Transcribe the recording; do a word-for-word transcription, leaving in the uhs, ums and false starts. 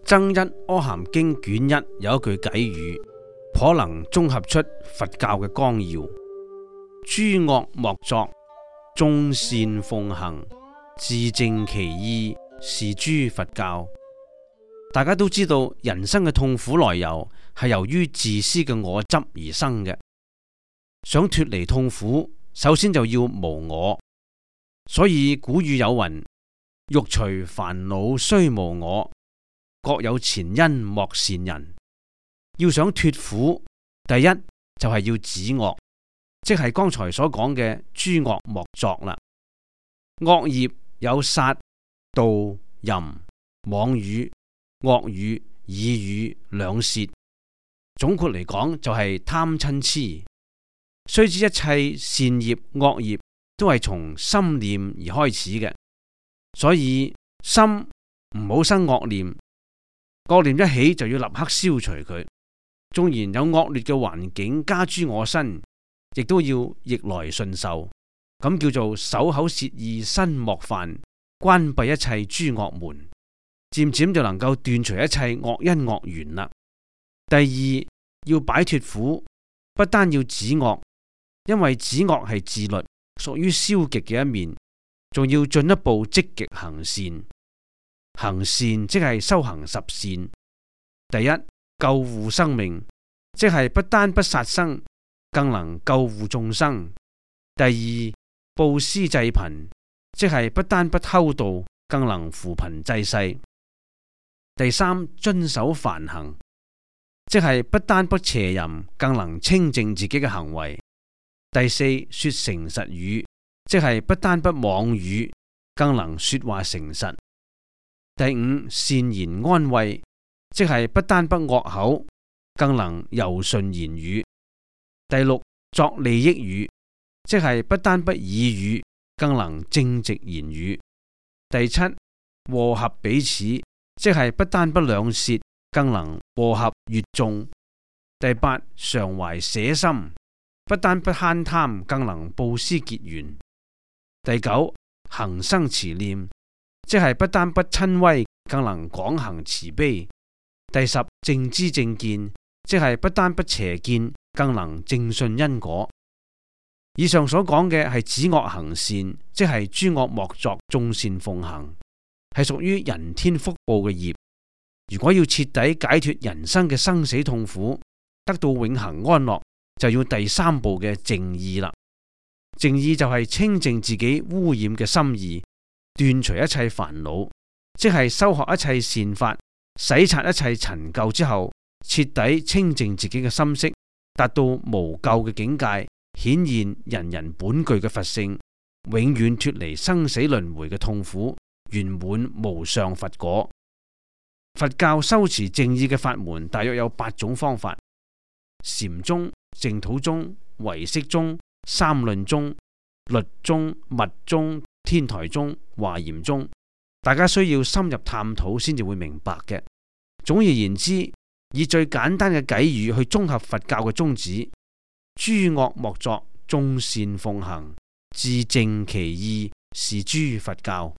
增一阿含經卷一有一句偈語，頗能綜合出佛教嘅綱要：諸惡莫作，眾善奉行，自正其意，是諸佛教。大家都知道，人生嘅痛苦來由係由於自私嘅我執而生嘅。想脫離痛苦，首先就要無我。所以古語有云：欲除煩惱須無我，各有前因莫善人。要想脫苦，第一就係要止惡，即係剛才所講嘅諸惡莫作啦。惡業有殺、盜、淫、妄語、惡語、綺語、兩舌。總括嚟講就係貪嗔癡。須知一切善業惡業都係從心念而開始嘅，所以心唔好生惡念，惡念一起就要立刻消除佢。縱然有惡劣嘅環境加諸我身，亦都要逆來順受，咁叫做守口舌意身莫犯，關閉一切諸惡門，漸漸就能夠斷除一切惡因惡緣啦。第二，要擺脫苦，不單要止惡，因為止惡係自律，屬於消極嘅一面，仲要進一步積極行善。行善即係修行十善。第一，救護生命，即係不單不殺生，更能救護眾生。第二，布施濟貧，即係不單不偷盜，更能扶貧濟世。第三，遵守梵行，即係不單不邪淫，更能清淨自己嘅行為。第四，說誠實語，即係不單不妄語，更能說話誠實。第五，善言安慰，即係不單不惡口，更能柔順言語。第六，作利益語，即係不單不綺語，更能正直言語。第七，和合彼此，即係不單不兩舌，更能和合悅眾。第八，常懷捨心，不單不慳貪，更能布施結緣。第九，恒生慈念，即係不單不親威，更能廣行慈悲。第十，正知正見，即係不單不邪見，更能正信因果。以上所講嘅係止惡行善，即係諸惡莫作，眾善奉行，係屬於人天福報嘅業。如果要徹底解脫人生嘅生死痛苦，得到永恆安樂，就要第三步嘅淨意啦。淨意就係清淨自己污染嘅心意，斷除一切煩惱，即係修學一切善法，洗刷一切陳舊之後，徹底清淨自己嘅心識，達到無垢嘅境界，顯現人人本具嘅佛性，永遠脫離生死輪迴嘅痛苦，圓滿無上佛果。佛教修持淨意嘅法門大約有八種方法：禪宗、淨土宗、唯識宗、三論宗、律宗、密宗、天台宗、華嚴宗。大家需要深入探討先至會明白嘅。總而言之，以最簡單嘅偈語去綜合佛教嘅宗旨：諸惡莫作，眾善奉行，自正其意，是諸佛教。